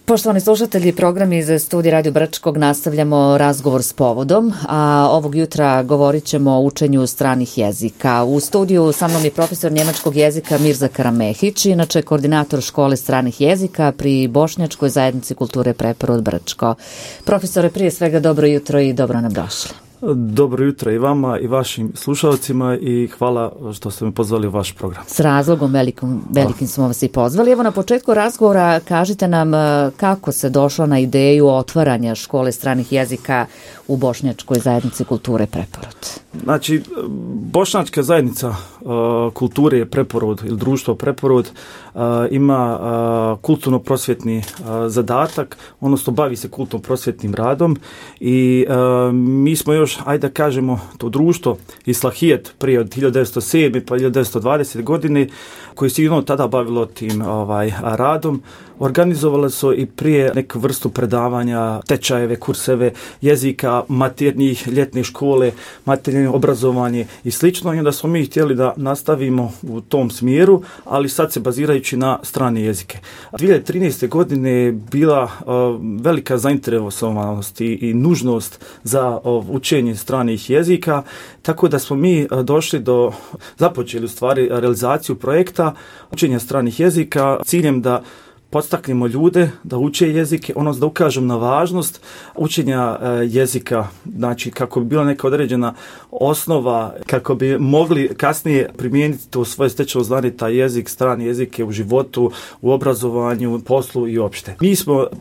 Poštovani slušatelji, program iz studija Radio Brčkog nastavljamo razgovor s povodom, a ovog jutra govorit ćemo o učenju stranih jezika. U studiju sa mnom je profesor njemačkog jezika Mirza Karamehić, inače koordinator škole stranih jezika pri Bošnjačkoj zajednici kulture Preporod Brčko. Profesore, prije svega dobro jutro i dobro nam došli. Dobro jutro i vama i vašim slušalcima i hvala što ste me pozvali u vaš program. S razlogom velikim smo vas i pozvali. Evo na početku razgovora kažite nam kako se došlo na ideju otvaranja škole stranih jezika u Bošnjačkoj zajednici kulture Preporod. Znači, Bošnjačka zajednica kulture Preporod ili društvo Preporod ima kulturno-prosvjetni zadatak, odnosno bavi se kulturno-prosvjetnim radom i mi smo još, ajde da kažemo, to društvo Islahijet prije od 1907. pa 1920. godine koji se sigurno tada bavilo tim radom, organizovali su i prije neku vrstu predavanja, tečajeve, kurseve jezika, maternjih, ljetne škole, maternje obrazovanje i slično. I onda smo mi htjeli da nastavimo u tom smjeru, ali sad se bazirajući na strane jezike. 2013. godine je bila velika zainteresovanost i nužnost za učenje stranih jezika, tako da smo mi započeli u stvari realizaciju projekta učenja stranih jezika ciljem da podstaknemo ljude da uče jezike, odnosno da ukažem na važnost učenja jezika, znači kako bi bila neka određena osnova, kako bi mogli kasnije primijeniti to svoje stečeno znanje, taj jezik, strani jezike u životu, u obrazovanju, poslu i opšte.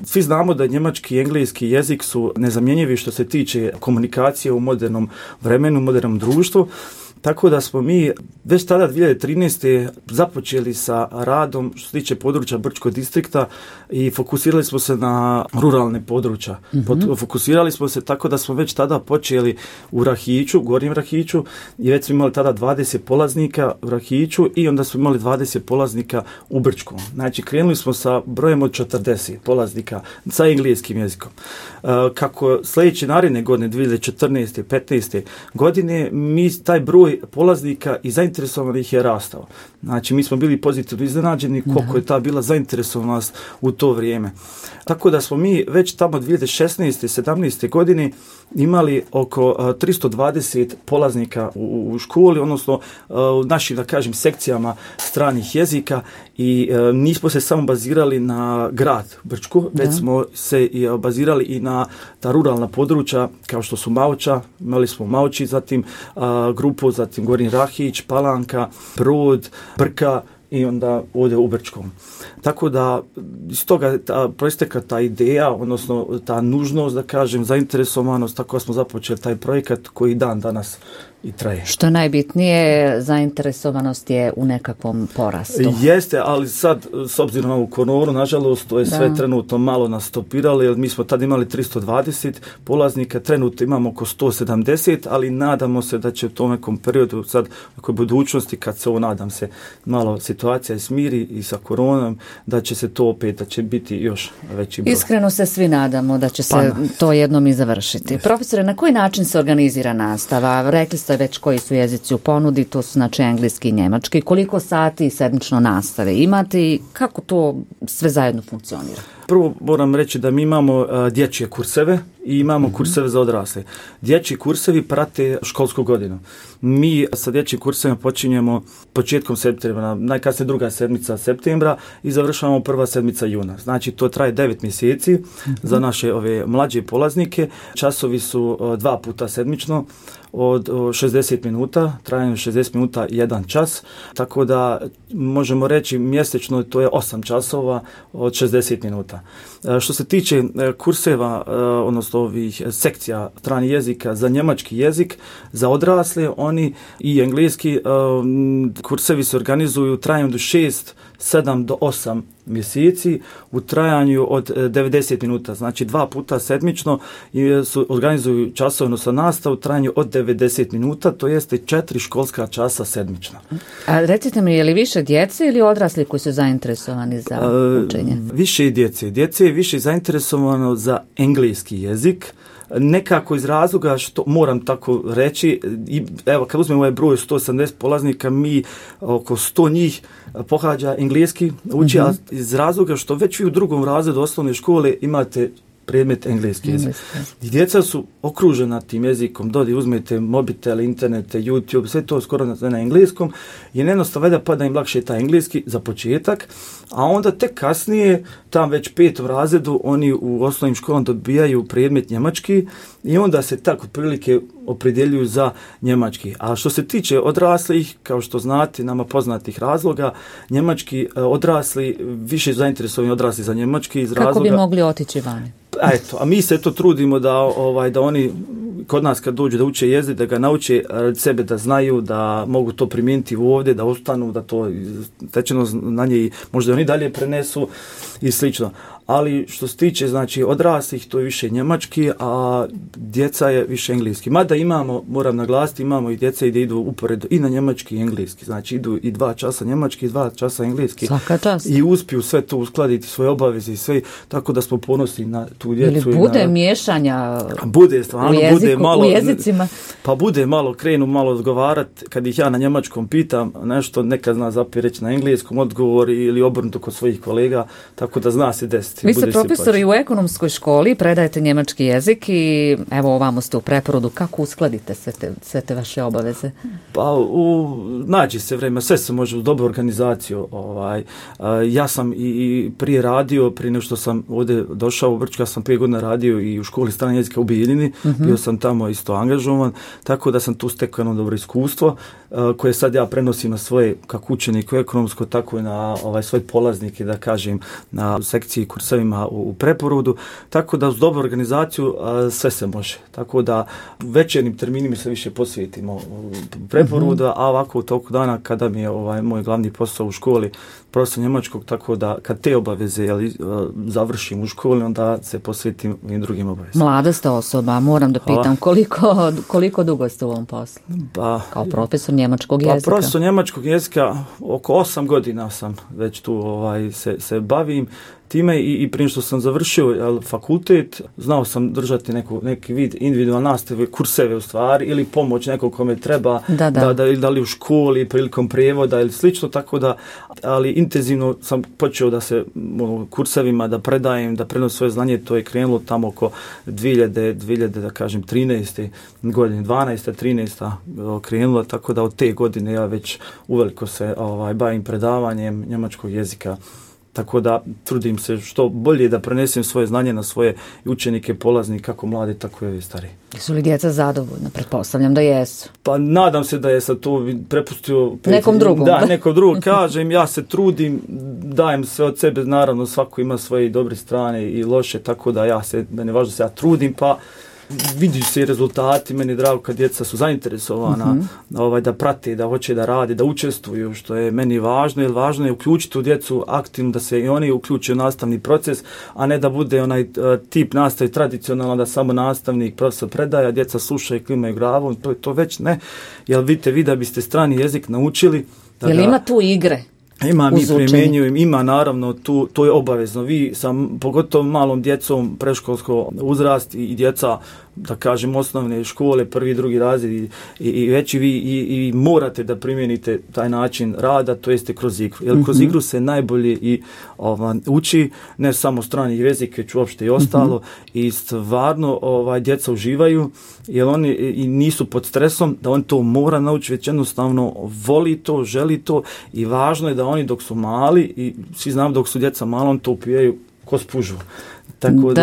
Svi znamo da njemački i engleski jezik su nezamjenjivi što se tiče komunikacije u modernom vremenu, u modernom društvu. Tako da smo mi već tada 2013. započeli sa radom što se tiče područja Brčkog distrikta i fokusirali smo se na ruralne područja. Fokusirali smo se tako da smo već tada počeli u Rahiću, Gornjem Rahiću, i već smo imali tada 20 polaznika u Rahiću i onda smo imali 20 polaznika u Brčkom. Znači krenuli smo sa brojem od 40 polaznika sa engleskim jezikom. Kako sljedeće naredne godine, 2014. 15. godine, taj broj polaznika i zainteresovanih je rastao. Znači, mi smo bili pozitivno iznenađeni koliko je ta bila zainteresovanost u to vrijeme. Tako da smo mi već tamo 2016. 17. godine imali oko 320 polaznika u školi, odnosno u našim, da kažem, sekcijama stranih jezika i nismo se samo bazirali na grad Brčku, već smo se bazirali i na ta ruralna područja kao što su Mauča, imali smo Mauči, zatim grupu, zatim Gornji Rahić, Palanka, Brod, Brka i onda ovdje u Brčkom. Tako da iz toga proistekla ta ideja, odnosno ta nužnost, da kažem, zainteresovanost, tako smo započeli taj projekat koji dan danas i traje. Što najbitnije, zainteresovanost je u nekakvom porastu. Jeste, ali sad, s obzirom na ovu koronu, nažalost, to je sve trenutno malo nas stopiralo, jer mi smo tad imali 320 polaznika, trenutno imamo oko 170, ali nadamo se da će u tom nekom periodu, sad, u budućnosti, kad se nadam se, malo situacija smiri i sa koronom, da će se to opet, da će biti još veći broj. Iskreno se svi nadamo da će se to jednom i završiti. Profesore, na koji način se organizira nastava? Rekli ste već koji su jezici u ponudi, to su znači engleski i njemački. Koliko sati sedmično nastave imate i kako to sve zajedno funkcionira? Prvo moram reći da mi imamo dječje kurseve i imamo kurseve za odrasle. Dječji kursevi prate školsku godinu. Mi sa dječjim kursevima počinjemo početkom septembra, najkasnije druga sedmica septembra i završavamo prva sedmica juna. Znači to traje 9 mjeseci za naše ove mlađe polaznike. Časovi su 2 puta sedmično od 60 minuta, trajanje 60 minuta 1 čas, tako da možemo reći mjesečno to je 8 časova od 60 minuta. Što se tiče kurseva, odnosno ovih sekcija stranih jezika za njemački jezik, za odrasle, oni i engleski kursevi se organizuju u trajanju do 7 do 8 mjeseci u trajanju od 90 minuta. Znači 2 puta sedmično organizuju časovno sa nastavu u trajanju od 90 minuta, to jeste 4 školska časa sedmično. A recite mi, je li više djece ili odrasli koji su zainteresovani za učenje? Više djece. Djece je više zainteresovano za engleski jezik, nekako iz razloga što moram tako reći, evo kad uzmemo ovaj broj 180 polaznika, mi oko 100 njih pohađa engleski uči, a iz razloga što već vi u drugom razredu osnovne škole imate predmet engleski jezik. I djeca su okružena tim jezikom, uzmete mobitel, internete, YouTube, sve to skoro na engleskom i jednostavno da pada im lakše taj engleski za početak, a onda tek kasnije, tam već 5. razredu, oni u osnovnim školama dobijaju predmet njemački i onda se tako prilike opredjeljuju za njemački. A što se tiče odraslih, kao što znate, nama poznatih razloga, njemački odrasli, više zainteresovani odrasli za njemački iz razloga... Kako bi mogli otići vani? Eto, a mi se to trudimo da oni kod nas kad dođu da uče jezik, da ga nauče sebe, da znaju, da mogu to primijeniti ovdje, da ostanu, da to stečeno znanje i možda oni dalje prenesu i slično. Ali što se tiče znači odraslih, to je više njemački, a djeca je više engleski. Mada imamo, moram naglasiti, imamo i djeca gdje idu uporedo i na njemački i engleski. Znači idu i 2 časa njemački i 2 časa engleski. Svaka čast. I uspiju sve to uskladiti, svoje obaveze i sve, tako da smo ponosni na tu djecu. Ili bude miješanja bude, stvarno, bude malo, u jezicima? Pa bude malo, krenu malo odgovarati, kad ih ja na njemačkom pitam nešto, nekad zna zapije reći na engleskom odgovor ili obrnuto kod svojih kolega, tako da zna se desiti. Vi ste profesor i u ekonomskoj školi, predajete njemački jezik i evo ovamo ste u Preporodu. Kako uskladite sve te vaše obaveze? Pa nađe se vreme, sve se može u dobru organizaciju. Ja sam i prije radio, prije nego što sam ovdje došao u Brčku, ja sam 5 godina radio i u školi stranog jezika u Bijeljini, bio sam tamo isto angažovan, tako da sam tu stekao jedno dobro iskustvo koje sad ja prenosim na svoje, kako učenik u ekonomsko, tako i na svoje polaznike, da kažem, na sekciji kursevima u Preporodu, tako da uz dobru organizaciju sve se može. Tako da večernjim terminima se više posvetimo u Preporodu, a ovako u toku dana kada mi je moj glavni posao u školi profesor njemačkog, tako da kad te obaveze završim u školi, onda se posvetim i drugim obavezama. Mlada ste osoba, moram da pitam, koliko dugo ste u ovom poslu? Kao profesor njemačkog jezika? Profesor njemačkog jezika, oko 8 godina sam već tu se bavim time i prije što sam završio fakultet, znao sam držati neki vid individualne nastave, kurseve u stvari, ili pomoć nekog kome treba, da li u školi, prilikom prijevoda ili slično, tako da, ali intenzivno sam počeo da se kursevima, da predajem, da prenosim svoje znanje, to je krenulo tamo oko 2000 da kažem, 13. godine, 12. 13. krenulo, tako da od te godine ja već uveliko se bavim predavanjem njemačkog jezika. Tako da trudim se što bolje da prenesem svoje znanje na svoje učenike, polaznike, kako mlade, tako i stari. Su li djeca zadovoljna? Pretpostavljam da jesu. Pa nadam se da je sad to prepustio nekom drugom. Da, nekom drugom. Kažem, ja se trudim, dajem sve od sebe, naravno svako ima svoje dobre strane i loše, tako da meni je važno da se ja trudim, pa vidi se i rezultati, meni je drago kad djeca su zainteresovana da prate, da hoće da rade, da učestvuju, što je meni važno, jer važno je uključiti u djecu aktivno, da se i oni uključe u nastavni proces, a ne da bude onaj tip nastave tradicionalno, da samo nastavnik, profesor predaje, a djeca slušaju i klimaju glavom, to već ne, jer vidite, vi da biste strani jezik naučili. Jel ima tu igre? Ima, mi primjenjujem, ima naravno, to je obavezno. Vi pogotovo malom djecom, predškolsko uzrast i djeca, da kažem, osnovne škole, 1. 2. razred i veći vi i morate da primijenite taj način rada, to jeste kroz igru. Jer kroz igru se najbolje i uči, ne samo strani jezik, već uopšte i ostalo, i stvarno djeca uživaju, jer oni i nisu pod stresom, da on to mora naučiti, već jednostavno voli to, želi to i važno je da oni dok su mali, i svi znamo dok su djeca malo, on to upijaju ko spužu. Tako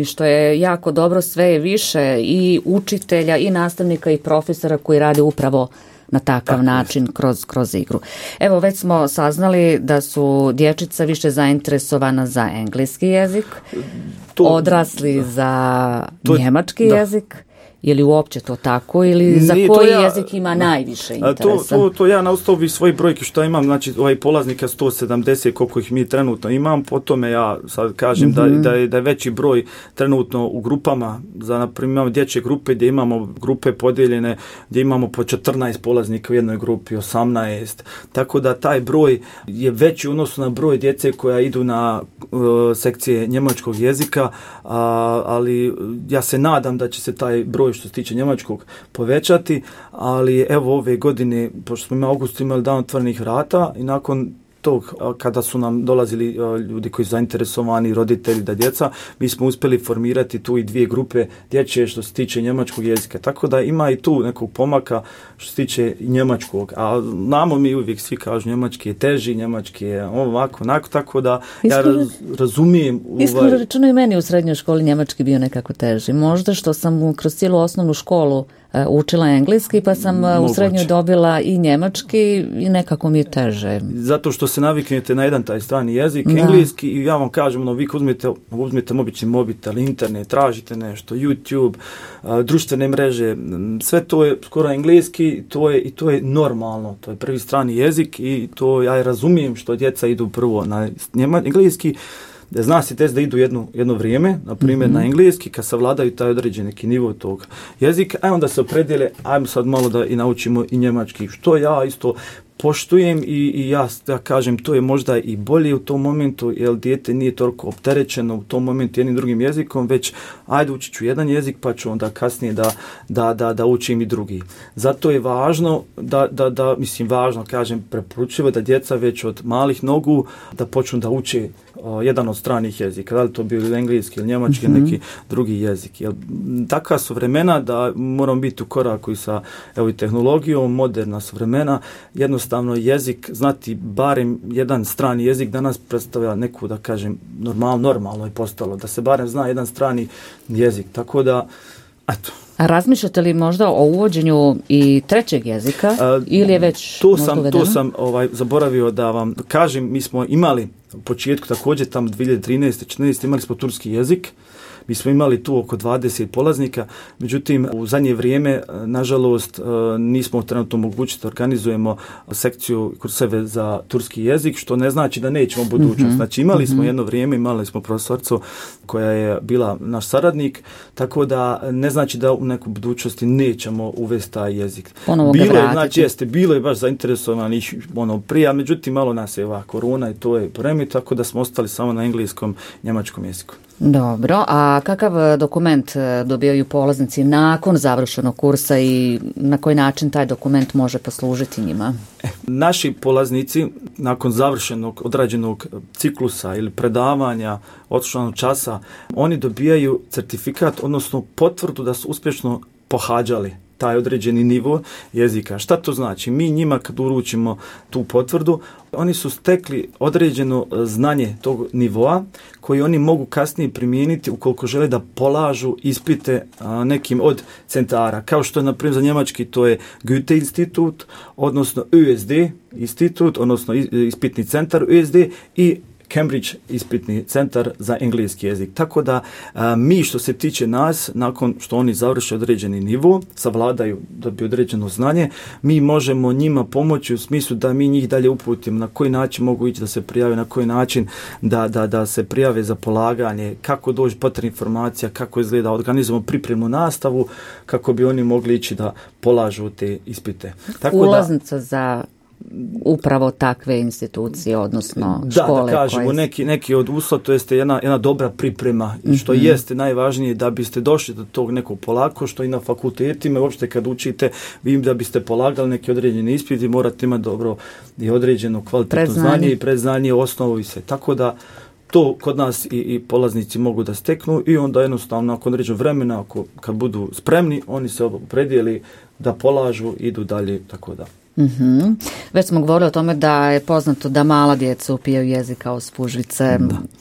što je jako dobro, sve je više i učitelja i nastavnika i profesora koji rade upravo na takav način kroz igru. Evo, već smo saznali da su dječica više zainteresovana za engleski jezik, odrasli za njemački jezik Je li uopće to tako ili za koji jezik ima najviše interesa? To ja na osnovi svojih brojki što imam, znači polaznika 170 koliko ih mi trenutno imam, po tome ja sad kažem da je veći broj trenutno u grupama, na primjer imamo dječje grupe gdje imamo grupe podijeljene, gdje imamo po 14 polaznika u jednoj grupi, 18, tako da taj broj je veći u odnosu na broj djece koja idu na sekcije njemačkog jezika, ali ja se nadam da će se taj broj što se tiče njemačkog povećati, ali evo ove godine, pošto smo u augustu imali dan otvorenih vrata i nakon tog, kada su nam dolazili ljudi koji su zainteresovani, roditelji da djeca, mi smo uspjeli formirati tu i 2 grupe dječje što se tiče njemačkog jezika. Tako da ima i tu nekog pomaka što se tiče njemačkog. A znamo mi uvijek svi kažu njemački je teži, njemački je ovako, onako, tako da ja razumijem. Iskreno rečeno i meni u srednjoj školi njemački bio nekako teži. Možda što sam kroz cijelu osnovnu školu učila engleski, pa sam u srednjoj dobila i njemački i nekako mi je teže. Zato što se naviknete na jedan taj strani jezik, engleski, i ja vam kažem, vi uzmete obični mobitel, internet, tražite nešto, YouTube, društvene mreže, sve to je skoro engleski, to je normalno, to je prvi strani jezik i to ja razumijem što djeca idu prvo na engleski. Zna se da idu jedno vrijeme, na primjer na engleski, kad savladaju taj određen neki nivo tog jezika, a onda se opredijele, ajmo sad malo da i naučimo i njemački, što ja isto poštujem i ja kažem, to je možda i bolje u tom momentu, jer dijete nije toliko opterećeno u tom momentu jednim drugim jezikom, već ajde učit ću jedan jezik, pa ću onda kasnije da učim i drugi. Zato je važno preporučljivo da djeca već od malih nogu da počnu da uče jedan od stranih jezika, da li to bio engleski ili njemački ili neki drugi jezik. Jer takva su vremena da moramo biti u koraku i sa i tehnologijom, moderna su vremena, jednostavno jezik, znati barem jedan strani jezik danas predstavlja neku, da kažem, normalno je postalo, da se barem zna jedan strani jezik, tako da, eto. A razmišljate li možda o uvođenju i trećeg jezika ili je već uvedeno? To sam zaboravio da vam kažem, mi smo imali u početku također tamo 2013-2014 imali smo turski jezik. Mi smo imali tu oko 20 polaznika, međutim u zadnje vrijeme, nažalost, nismo trenutno mogući da organizujemo sekciju kurseve za turski jezik, što ne znači da nećemo budućnost. Znači imali smo jedno vrijeme, imali smo profesorcu koja je bila naš saradnik, tako da ne znači da u nekoj budućnosti nećemo uvesti taj jezik. Bilo je baš zainteresovanih prije, međutim malo nas je ova korona i to je poremio, tako da smo ostali samo na engleskom, njemačkom jeziku. Dobro, a kakav dokument dobijaju polaznici nakon završenog kursa i na koji način taj dokument može poslužiti njima? Naši polaznici nakon završenog odrađenog ciklusa ili predavanja, otišlog časa, oni dobijaju certifikat, odnosno potvrdu da su uspješno pohađali taj određeni nivo jezika. Šta to znači? Mi njima kad uručimo tu potvrdu, oni su stekli određeno znanje tog nivoa koji oni mogu kasnije primijeniti ukoliko žele da polažu ispite nekim od centara. Kao što je, na primjer, za njemački to je Goethe institut, odnosno USD institut, odnosno ispitni centar USD i Cambridge ispitni centar za engleski jezik. Tako da mi što se tiče nas, nakon što oni završe određeni nivo, savladaju, dobiju određeno znanje, mi možemo njima pomoći u smislu da mi njih dalje uputimo na koji način mogu ići da se prijave, na koji način da se prijave za polaganje, kako doći potrebna informacija, kako izgleda, organizujemo pripremnu nastavu, kako bi oni mogli ići da polažu te ispite. Tako ulaznica za upravo takve institucije, odnosno škole. Da kažemo, neki od uslova, to jeste jedna dobra priprema, i što jeste najvažnije da biste došli do tog nekog polako, što i na fakultetima, uopšte kad učite, vi da biste polagali neki određeni ispit i morate imati dobro i određeno kvalitetno znanje i predznanje, osnovu i sve. Tako da to kod nas i polaznici mogu da steknu i onda jednostavno nakon određenog vremena, kad budu spremni, oni se opredijeli da polažu, idu dalje, tako da. Već smo govorili o tome da je poznato da mala djeca upijaju jezik kao spužvice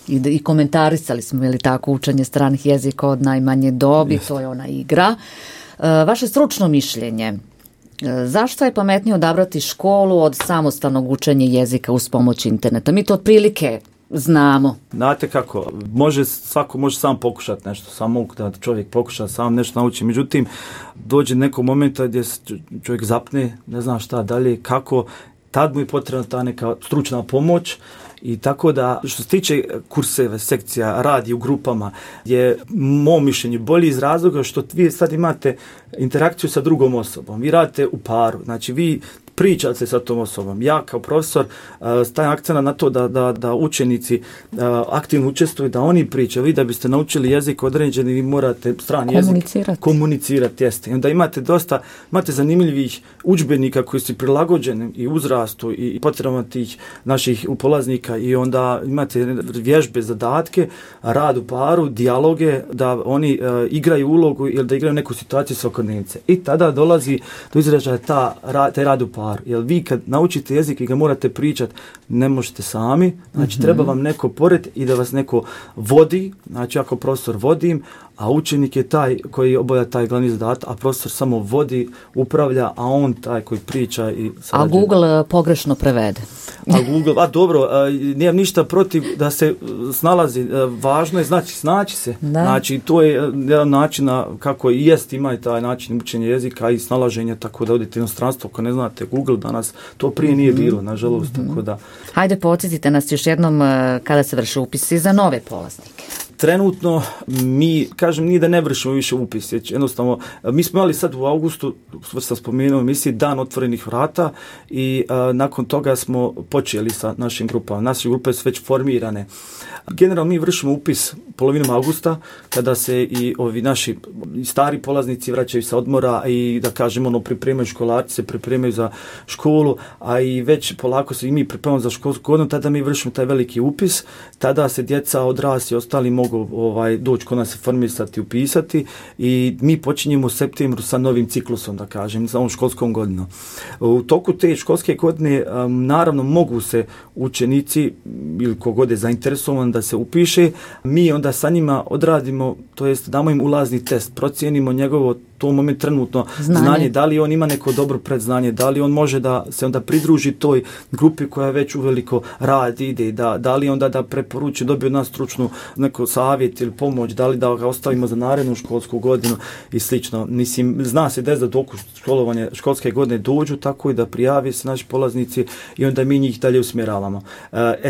i komentarisali smo, je li tako, učenje stranih jezika od najmanje dobi, to je ona igra. Vaše stručno mišljenje, zašto je pametnije odabrati školu od samostalnog učenja jezika uz pomoć interneta? Mi to otprilike znamo. Znate kako, svako može sam pokušati nešto, samo da čovjek pokuša sam nešto nauči. Međutim, dođe neko momenta gdje se čovjek zapne, ne zna šta dalje, kako, tad mu je potrebna ta neka stručna pomoć. I tako da, što se tiče kurseva, sekcija, radi u grupama, je mom mišljenju bolji iz razloga što vi sad imate interakciju sa drugom osobom. Vi radite u paru, znači vi pričate se sa tom osobom. Ja kao profesor stavim akcent na to da učenici aktivno učestvuju, da oni pričaju. Vi da biste naučili jezik određeni, vi morate strani jezik komunicirati. Jeste. I onda imate zanimljivih udžbenika koji su prilagođeni i uzrastu i potrebama tih naših polaznika i onda imate vježbe, zadatke, rad u paru, dijaloge, da oni igraju ulogu ili da igraju neku situaciju svakodnevnice. I tada dolazi do izražaja taj rad u paru. Jer vi kad naučite jezik i ga morate pričati, ne možete sami, znači treba vam neko pored i da vas neko vodi, znači ako profesor vodim, a učenik je taj koji obavlja taj glavni zadatak, a profesor samo vodi, upravlja, a on taj koji priča i sarađuje. A Google pogrešno prevede. Dobro, nijem ništa protiv da se snalazi, važno je snaći se. Da. Znači, to je jedan način kako i jest, ima i taj način učenja jezika i snalaženja, tako da odete u inostranstvo, ako ne znate Google danas, to prije nije bilo, nažalost, tako da. Hajde, podsjetite nas još jednom kada se vrše upisi za nove polaznike. Trenutno nije da ne vršimo više upis, jednostavno, mi smo imali sad u augustu, sam spomenuo emisiji, dan otvorenih vrata i nakon toga smo počeli sa našim grupama. Naše grupe su već formirane. Generalno mi vršimo upis polovinom augusta, kada se i ovi naši stari polaznici vraćaju sa odmora i da kažemo pripremaju školarci, se pripremaju za školu, a i već polako se i mi pripremamo za školsku godinu, tada mi vršimo taj veliki upis, tada se djeca, odrasli i ostali mogu doći kod nas se formisati, upisati i mi počinjemo u septembru sa novim ciklusom, da kažem, za ovom školskom godinom. U toku te školske godine naravno mogu se učenici ili kogod je zainteresovan da se upiše, mi onda sa njima odradimo, to jest damo im ulazni test, procijenimo njegovo to moment trenutno znanje, da li on ima neko dobro predznanje, da li on može da se onda pridruži toj grupi koja već uveliko radi, ide, da li onda da preporuči, dobije od nas stručnu neko savjet ili pomoć, da li da ga ostavimo za narednu školsku godinu i slično. Mislim, zna se da toku školovanje školske godine dođu, tako i da prijavi se naši polaznici i onda mi njih dalje usmjeravamo.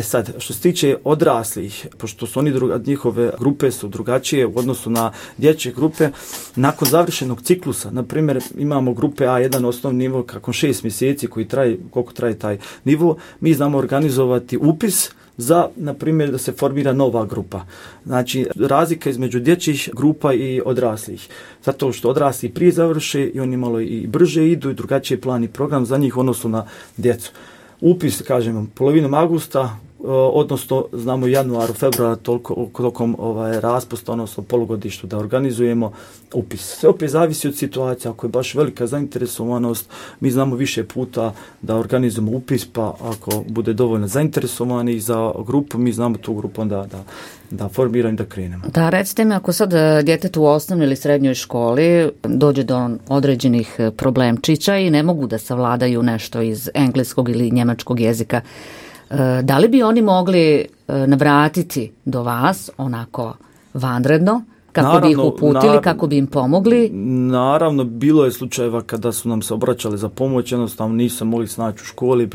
Sad, što se tiče odraslih, pošto su njihove grupe su drugačije u odnosu na dječje grupe, nakon završenog ciklusa, na primjer imamo grupe A1 osnovni nivo kako 6 mjeseci koliko traje taj nivo, mi znamo organizovati upis za, na primjer, da se formira nova grupa. Znači, razlika između dječjih grupa i odraslih. Zato što odrasli prije završe i oni malo i brže idu i drugačiji plan i program za njih odnosno na djecu. Upis, kažemo, polovinom augusta, odnosno znamo januaru, februara, tokom raspusta, odnosno polugodištu da organizujemo upis. Sve opet zavisi od situacije, ako je baš velika zainteresovanost, mi znamo više puta da organizujemo upis, pa ako bude dovoljno zainteresovani za grupu, mi znamo tu grupu onda da formiramo i da krenemo. Da, recite mi, ako sad djetetu u osnovnoj ili srednjoj školi dođe do određenih problemčića i ne mogu da savladaju nešto iz engleskog ili njemačkog jezika, da li bi oni mogli navratiti do vas onako vanredno, kako bi ih uputili, kako bi im pomogli? Naravno, bilo je slučajeva kada su nam se obraćali za pomoć, jednostavno nisu mogli snaći u školi,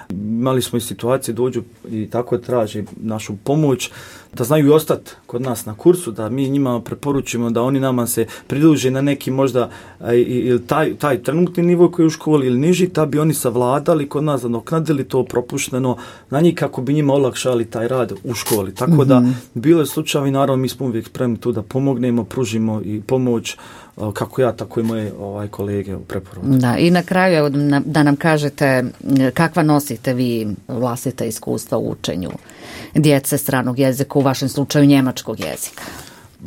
imali smo i situacije, dođu i tako traži našu pomoć, da znaju i ostati kod nas na kursu, da mi njima preporučimo da oni nama se pridruže na neki možda ili taj trenutni nivo koji je u školi ili niži, da bi oni savladali kod nas, nadoknadili to propušteno na njih kako bi njima olakšali taj rad u školi. Tako da bilo je slučajevi, naravno mi smo uvijek spremni tu da pomognemo, pružimo i pomoć kako ja, tako i moje kolege u preporuku. Da, i na kraju da nam kažete kakva nosite vi vlastita iskustva u učenju djece stranog jezika, u vašem slučaju njemačkog jezika.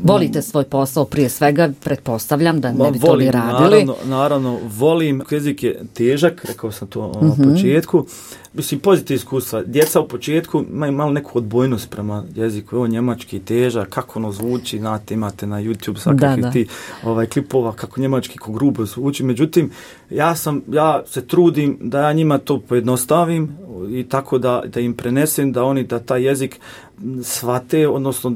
Volite svoj posao prije svega, pretpostavljam da ne bi to li radili. Naravno, volim. Jezik je težak, rekao sam to na početku. Mislim, pozitivne iskustva. Djeca u početku imaju malo neku odbojnost prema jeziku. Ovo njemački težak, kako ono zvuči, znate, imate na YouTube svakakvih ti klipova, kako njemački, kako grubo zvuči. Međutim, ja se trudim da ja njima to pojednostavim, i tako da im prenesem da oni da taj jezik shvate, odnosno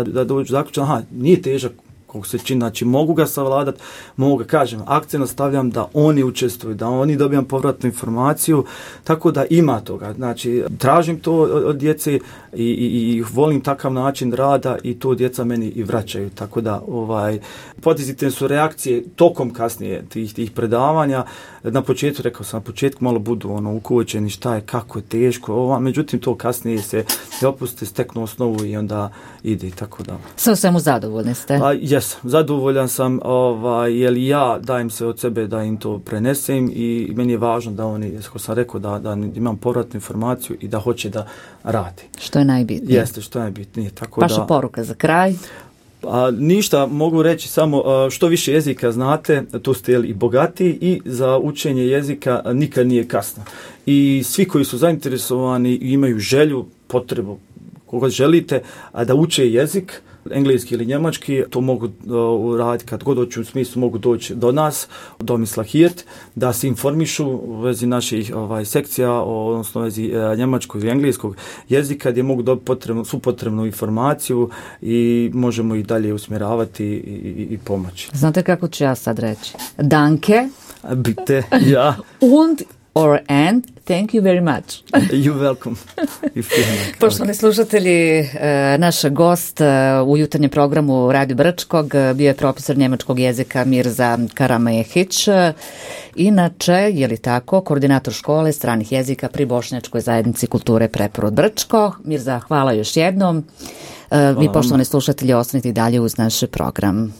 da dođu zaključno, aha, nije težak koliko se čini, znači mogu ga savladati, mogu ga, kažem, akcent stavljam da oni učestvuju, da oni dobijam povratnu informaciju, tako da ima toga, znači tražim to od djece i volim takav način rada i to djeca meni i vraćaju, tako da pozitivne su reakcije tokom kasnije tih predavanja. Na početku, rekao sam, na početku malo budu ukočeni šta je, kako je teško, međutim to kasnije se opuste, steknu osnovu i onda ide, tako da. Sve u svemu zadovoljni ste? Jesam, zadovoljan sam, jer ja dajem se od sebe da im to prenesem i meni je važno da oni, kako sam rekao, da imam povratnu informaciju i da hoće da radi. Što je najbitnije? Jeste, što je najbitnije. Vaša poruka za kraj? Ništa, mogu reći samo što više jezika znate, to ste i bogatiji i za učenje jezika nikad nije kasno. I svi koji su zainteresovani i imaju želju, potrebu, koga želite, da uče jezik, engleski ili njemački, to mogu raditi kad god hoću, u smislu mogu doći do nas, do Domislav Hirt, da se informišu u vezi naših sekcija, odnosno u vezi njemačkog i engleskog jezika, gdje mogu dobiti svu potrebnu informaciju i možemo ih dalje usmjeravati i pomoći. Znate kako ću ja sad reći? Danke. Bitte, ja. Und and thank you very much. You're welcome. Poštovani slušatelji, naš gost u jutarnjem programu Radio Brčkog bio je profesor njemačkog jezika Mirza Karamehić. Inače, je li tako, koordinator škole stranih jezika pri Bošnjačkoj zajednici kulture Preporod Brčko. Mirza, hvala još jednom. Vi, poštovani slušatelji, ostanite i dalje uz naš program.